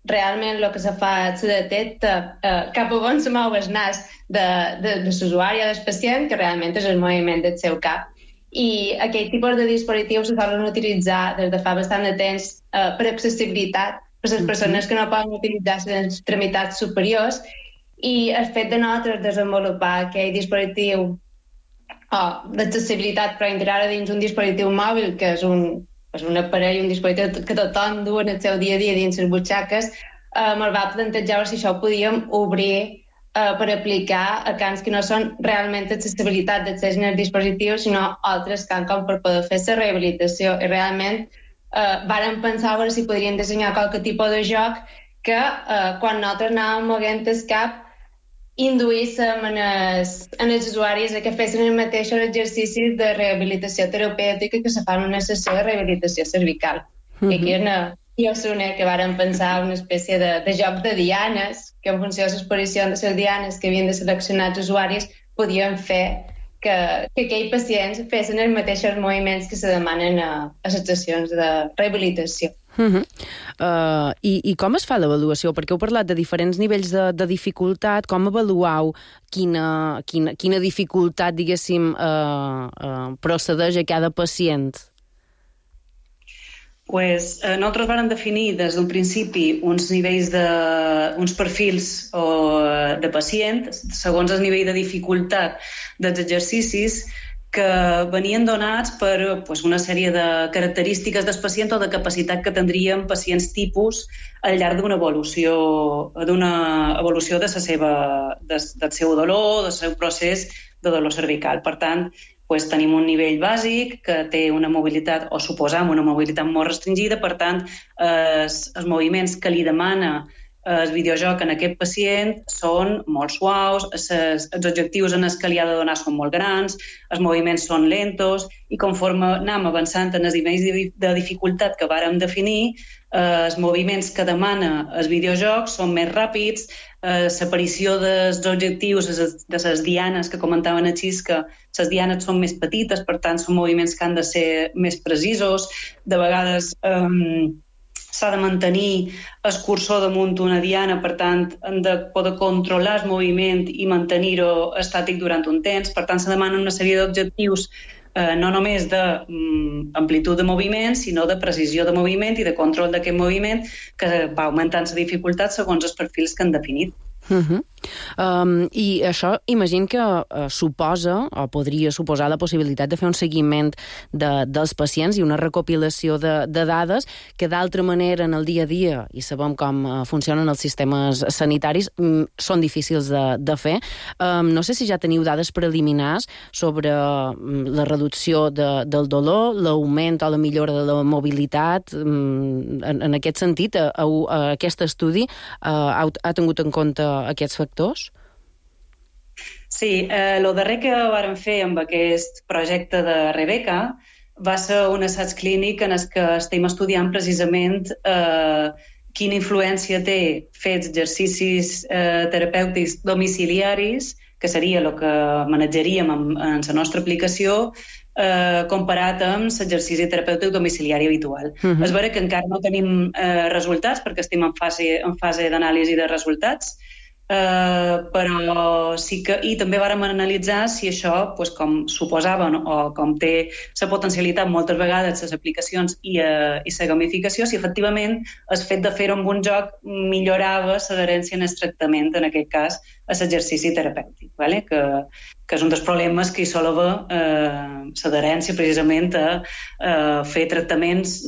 realment el que se fa se detecta cap a on se mou el nas de l'usuari o del pacient, que realment és el moviment del seu cap. I aquest tipus de dispositius se solen utilitzar des de fa bastant de temps per accessibilitat, per les persones que no poden utilitzar les extremitats superiors, i el fet de nosaltres desenvolupar aquell dispositiu d'accessibilitat però integrar dins un dispositiu mòbil, que és un aparell, un dispositiu que tothom du en el seu dia a dia dins les butxaques, ens va plantejar si això ho podíem obrir per aplicar a camps que no són realment accessibilitat d'accés en els dispositius, sinó altres camps com per poder fer la rehabilitació. I realment vàrem pensar si podríem dissenyar qualque tipus de joc que quan nosaltres anàvem moguent el cap induïssin en els usuaris que fessin els mateixos exercicis de rehabilitació terapèutica que se fan en una sessió de rehabilitació cervical. I aquí és que vàrem pensar una espècie de joc de dianes, que en funció de l'exposició de les dianes que havien de seleccionar els usuaris podien fer que aquells pacients fessin els mateixos moviments que se demanen a les sessions de rehabilitació. I com es fa l'avaluació? Perquè heu parlat de diferents nivells de dificultat. Com avaluau quina dificultat, diguéssim, procedeix a cada pacient? Nosaltres vam definir des d'un principi uns nivells uns perfils de pacient segons el nivell de dificultat dels exercicis que venien donats per una sèrie de característiques del pacient o de capacitat que tindrien pacients tipus al llarg d'una evolució del seu dolor, del seu procés de dolor cervical. Per tant, tenim un nivell bàsic que té una mobilitat, o suposam una mobilitat molt restringida, per tant, els moviments que li demana el videojoc en aquest pacient són molt suaus, els objectius en els que li ha de donar són molt grans, els moviments són lentos, i conforme anem avançant en els nivells de dificultat que vàrem definir, els moviments que demana el videojoc són més ràpids, l'aparició dels objectius, de les dianes que comentaven a Xisca, les dianes són més petites, per tant són moviments que han de ser més precisos, de vegades s'ha de mantenir el cursor damunt una diana, per tant, hem de poder controlar el moviment i mantenir-ho estàtic durant un temps. Per tant, se demanen una sèrie d'objectius no només d'amplitud de moviment, sinó de precisió de moviment i de control d'aquest moviment, que va augmentant la dificultat segons els perfils que han definit. I això imagino que suposa o podria suposar la possibilitat de fer un seguiment dels pacients i una recopilació de dades que d'altra manera en el dia a dia, i sabem com funcionen els sistemes sanitaris, són difícils de fer. No sé si ja teniu dades preliminars sobre la reducció del dolor, l'augment o la millora de la mobilitat. En aquest sentit, aquest estudi ha tingut en compte aquests factors? Sí, el darrer que vàrem fer amb aquest projecte de Rebeca va ser un assaig clínic en el que estem estudiant precisament quina influència té fer exercicis terapèutics domiciliaris, que seria el que manejaríem en la nostra aplicació, comparat amb l'exercici terapèutic domiciliari habitual. És vera que encara no tenim resultats perquè estem en fase d'anàlisi de resultats, però sí que... I també vàrem analitzar si això, com suposaven o com té la potencialitat moltes vegades les aplicacions i la gamificació, si efectivament el fet de fer-ho amb un joc millorava l'adherència en el tractament, en aquest cas, a l'exercici terapèutic, que és un dels problemes que hi sol haver l'adherència precisament a fer tractaments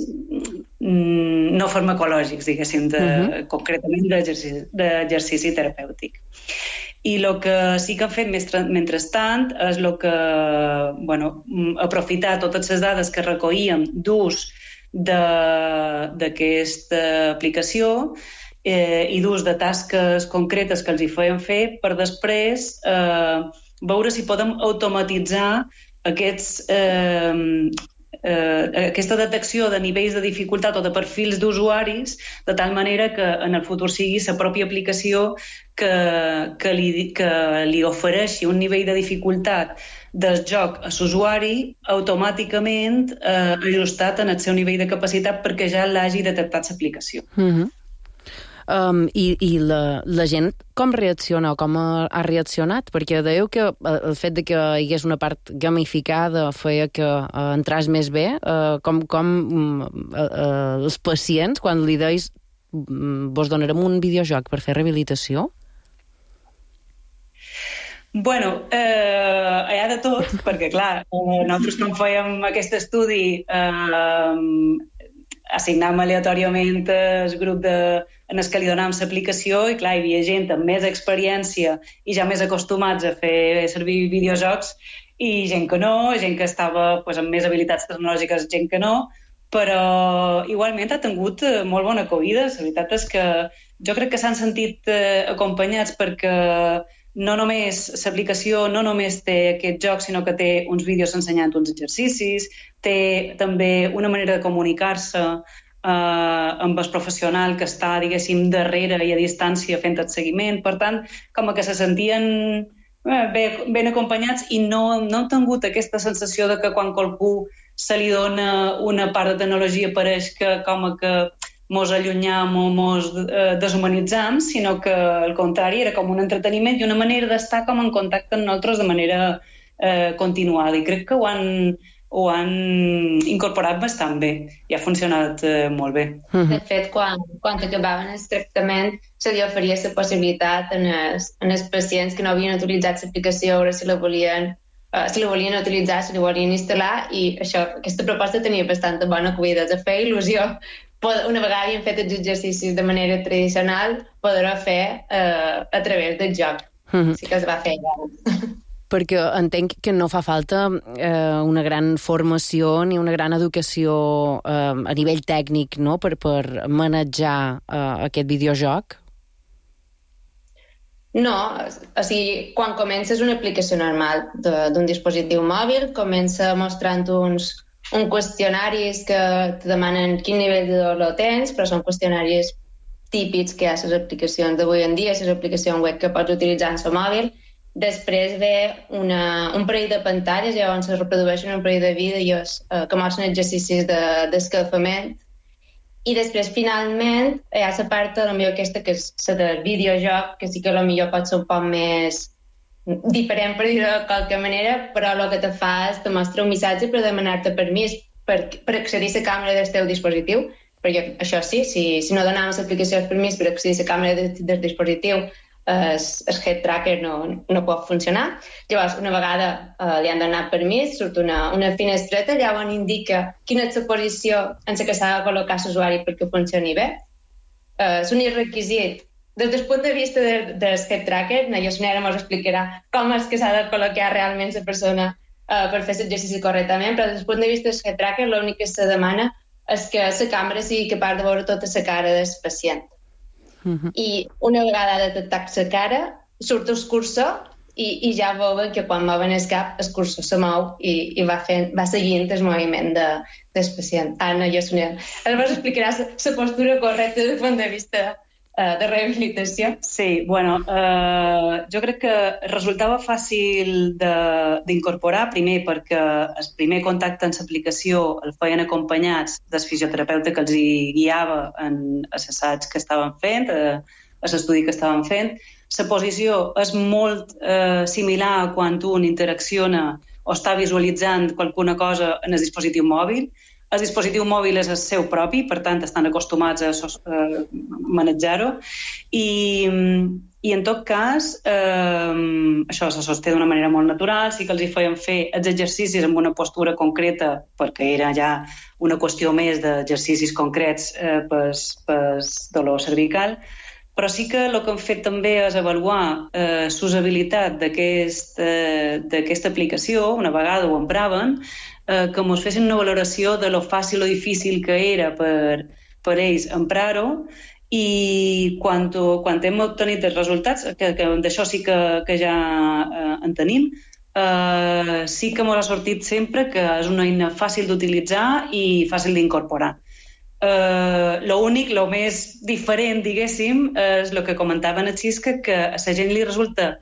no farmacològics, diguéssim, concretament d'exercici terapèutic. I el que sí que hem fet mentrestant és aprofitar totes les dades que recollíem d'ús d'aquesta aplicació i d'ús de tasques concretes que els hi feien fer per després veure si podem automatitzar aquesta detecció de nivells de dificultat o de perfils d'usuaris, de tal manera que en el futur sigui la pròpia aplicació que li ofereixi un nivell de dificultat del joc a l'usuari automàticament ajustat en el seu nivell de capacitat perquè ja l'hagi detectat l'aplicació. I la gent com reacciona o com ha reaccionat? Perquè dèieu que el fet de que hi hagués una part gamificada feia que entràs més bé. Com els pacients, quan li deis vos donarem un videojoc per fer rehabilitació? Bueno, hi ha de tot, perquè clar, nosaltres quan fèiem aquest estudi assignàvem aleatòriament el grup en el que li donàvem l'aplicació i clar, hi havia gent amb més experiència i ja més acostumats a fer servir videojocs i gent que no, gent que estava amb més habilitats tecnològiques, gent que no, però igualment ha tingut molt bona acollida. La veritat és que jo crec que s'han sentit acompanyats perquè no només l'aplicació no només té aquest joc, sinó que té uns vídeos ensenyant uns exercicis, té també una manera de comunicar-se amb el professional que està, diguéssim, darrere i a distància fent el seguiment. Per tant, com que se sentien ben acompanyats i no han tingut aquesta sensació de que quan qualcú se li dona una part de tecnologia, pareix que com que mos allunyam o mos deshumanitzam, sinó que al contrari era com un entreteniment i una manera d'estar com en contacte amb nosaltres de manera continuada, i crec que ho han incorporat bastant bé i ha funcionat molt bé. De fet, quan acabaven el tractament se li oferia la possibilitat en els pacients que no havien utilitzat l'aplicació a veure si la volien utilitzar, si la volien instal·lar, i aquesta proposta tenia bastanta bona acollida. De fer il·lusió, una vegada havien fet els exercicis de manera tradicional, poder-ho fer a través del joc. Sí que es va fer ja. Perquè entenc que no fa falta una gran formació ni una gran educació a nivell tècnic, no?, per manejar aquest videojoc. No, o sigui, quan comences una aplicació normal d'un dispositiu mòbil, comença mostrant uns qüestionaris que te demanen quin nivell de dolor tens, però són qüestionaris típics que hi ha a les aplicacions d'avui en dia, a les aplicacions web que pots utilitzar en el mòbil. Després ve un parell de pantalles, llavors es reprodueixen un parell de vídeos que mostren exercicis d'escalfament, i després, finalment, hi ha la part potser aquesta que és la del videojoc, que sí que potser pot ser un poc més diferent, per dir-ho de qualque manera, però el que te fa és te mostra un missatge per demanar-te permís per accedir a la càmera del teu dispositiu, perquè això sí, si no donaves l'aplicació el permís per accedir a la càmera del dispositiu, el head tracker no pot funcionar. Llavors, una vegada li han donat permís, surt una finestreta, llavors indica quina és la posició en què s'ha de col·locar l'usuari perquè funcioni bé. És un requisit. Des del punt de vista del head tracker, la Yosnera ens explicarà com és que s'ha de col·locar realment la persona per fer l'exercici correctament, però des del punt de vista del head tracker l'únic que se demana és que la càmera sigui capaç de veure tota la cara del pacient. I una vegada detectat la cara, surt el cursor i ja veuen que quan mouen el cap, el cursor se mou i va seguint el moviment del pacient. Anna Yosnera, ens vas explicar la postura correcta des del punt de vista de rehabilitació? Sí, bueno, jo crec que resultava fàcil d'incorporar, primer perquè el primer contacte amb l'aplicació el feien acompanyats del fisioterapeuta que els hi guiava en l'assaig que estaven fent, a l'estudi que estaven fent. La posició és molt similar a quan un interacciona o està visualitzant qualsevol cosa en el dispositiu mòbil. El dispositiu mòbil és el seu propi, per tant, estan acostumats a manejar-ho. I en tot cas, això se sosté d'una manera molt natural, sí que els hi feien fer els exercicis amb una postura concreta, perquè era ja una qüestió més d'exercicis concrets pel dolor cervical, però sí que el que han fet també és avaluar l'usabilitat d'aquesta aplicació, una vegada ho empraven, que ens fessin una valoració de lo fàcil o difícil que era per ells emprar-ho, i quan hem obtenit els resultats, que d'això sí que ja en tenim, sí que ens ha sortit sempre que és una eina fàcil d'utilitzar i fàcil d'incorporar. L'únic, el més diferent, diguéssim, és el que comentaven així, que a la gent li resulta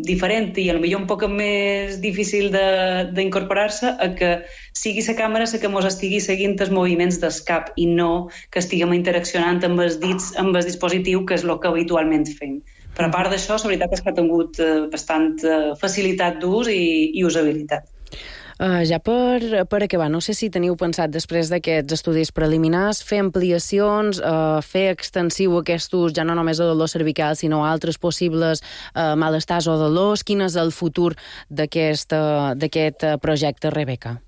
diferent i potser un poc més difícil d'incorporar-se a que sigui la càmera la que ens estigui seguint els moviments del cap i no que estiguem interaccionant amb els dits, amb el dispositiu, que és el que habitualment fem. Però a part d'això, la veritat és que ha tingut bastant facilitat d'ús i usabilitat. Ja per acabar, no sé si teniu pensat després d'aquests estudis preliminars fer ampliacions, fer extensiu aquest ús ja no només a dolor cervical sinó a altres possibles malestars o dolors. Quin és el futur d'aquest projecte, Rebeca?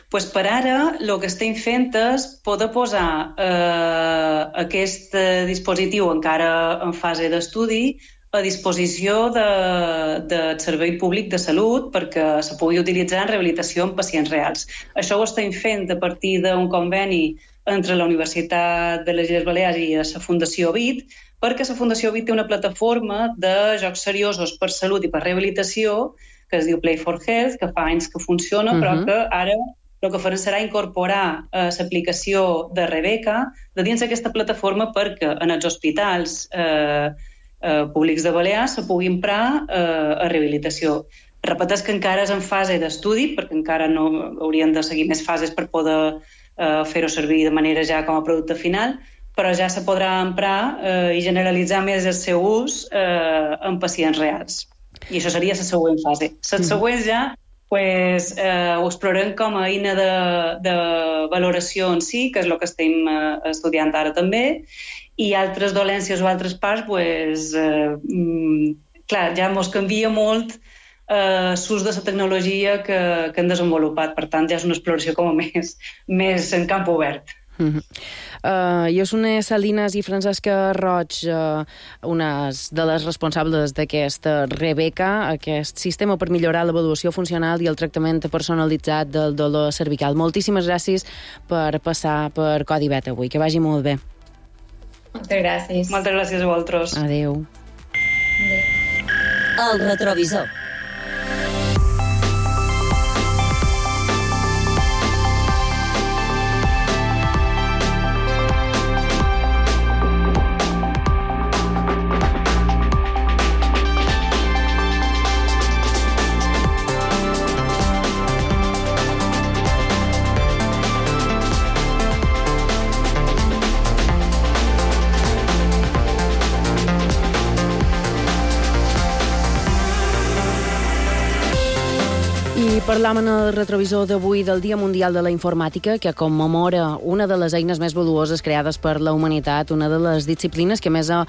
Pues per ara el que estem fent és poder posar aquest dispositiu encara en fase d'estudi a disposició del Servei Públic de Salut perquè se pugui utilitzar en rehabilitació en pacients reals. Això ho estem fent a partir d'un conveni entre la Universitat de les Illes Balears i la Fundació BIT, perquè la Fundació BIT té una plataforma de jocs seriosos per salut i per rehabilitació que es diu Play for Health, que fa anys que funciona, però que ara el que farà serà incorporar l'aplicació de Rebeca de dins d'aquesta plataforma perquè en els hospitals públics de Balears se pugui emprar a rehabilitació. Repeteix que encara és en fase d'estudi, perquè encara no haurien de seguir més fases per poder fer-ho servir de manera ja com a producte final, però ja se podrà emprar i generalitzar més el seu ús en pacients reals. I això seria la següent fase. Les següents ja ho explorem com a eina de valoració en si, que és el que estem estudiant ara també, i altres dolències o altres parts, clar, ja ens canvia molt l'ús de la tecnologia que hem desenvolupat. Per tant, ja és una exploració com a més en camp obert. Jo són Salinas i Francesca Roig, unes de les responsables d'aquesta Rebeca, aquest sistema per millorar l'avaluació funcional i el tractament personalitzat del dolor cervical. Moltíssimes gràcies per passar per Codi Beta avui. Que vagi molt bé. Moltes gràcies. Moltes gràcies a vosaltres. Adéu. El retrovisor. Parlam en el retrovisor d'avui del Dia Mundial de la Informàtica, que commemora una de les eines més valuoses creades per la humanitat, una de les disciplines que més ha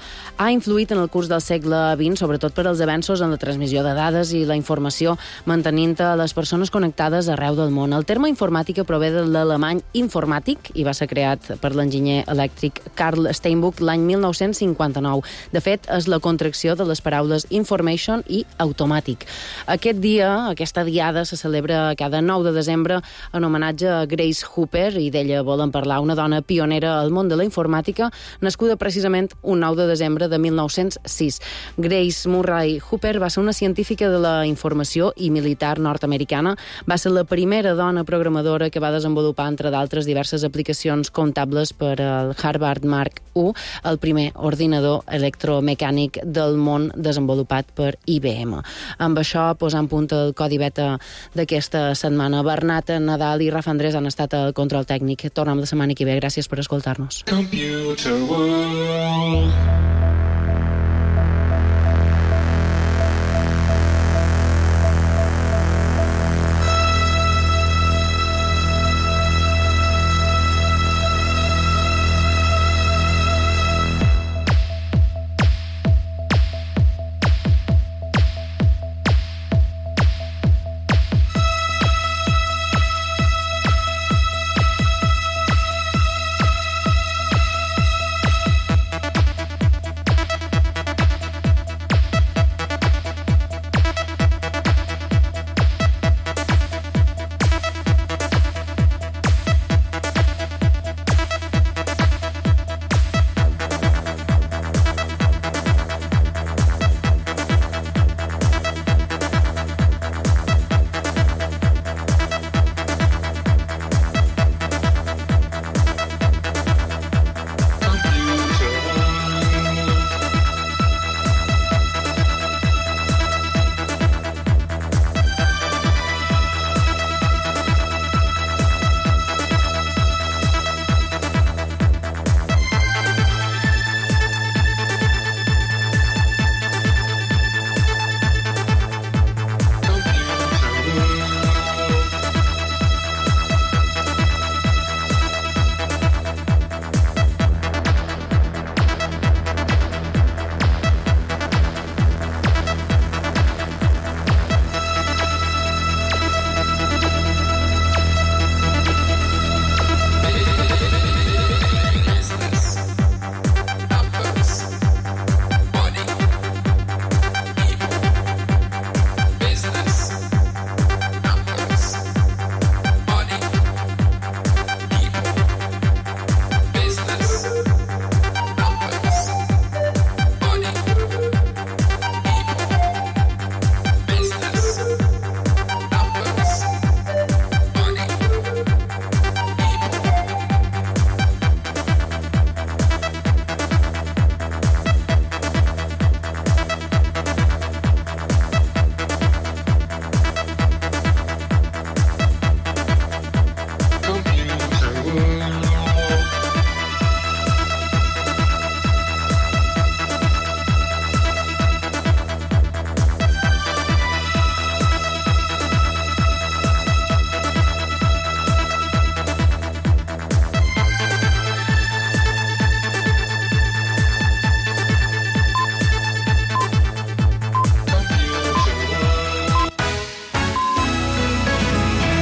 influït en el curs del segle XX, sobretot per als avenços en la transmissió de dades i la informació, mantenint les persones connectades arreu del món. El terme informàtica prové de l'alemany informàtic i va ser creat per l'enginyer elèctric Carl Steinbuch l'any 1959. De fet, és la contracció de les paraules information i automàtic. Aquest dia, aquesta diada, se celebra cada 9 de desembre en homenatge a Grace Hopper, i d'ella volen parlar, una dona pionera al món de la informàtica, nascuda precisament un 9 de desembre de 1906. Grace Murray Hopper va ser una científica de la informació i militar nord-americana. Va ser la primera dona programadora que va desenvolupar, entre d'altres, diverses aplicacions comptables per al Harvard Mark I, el primer ordinador electromecànic del món desenvolupat per IBM. Amb això, posant punt al Codi Beta d'aquesta setmana. Bernat Nadal i Rafa Andrés han estat al control tècnic. Tornem la setmana que ve. Gràcies per escoltar-nos. Computer World.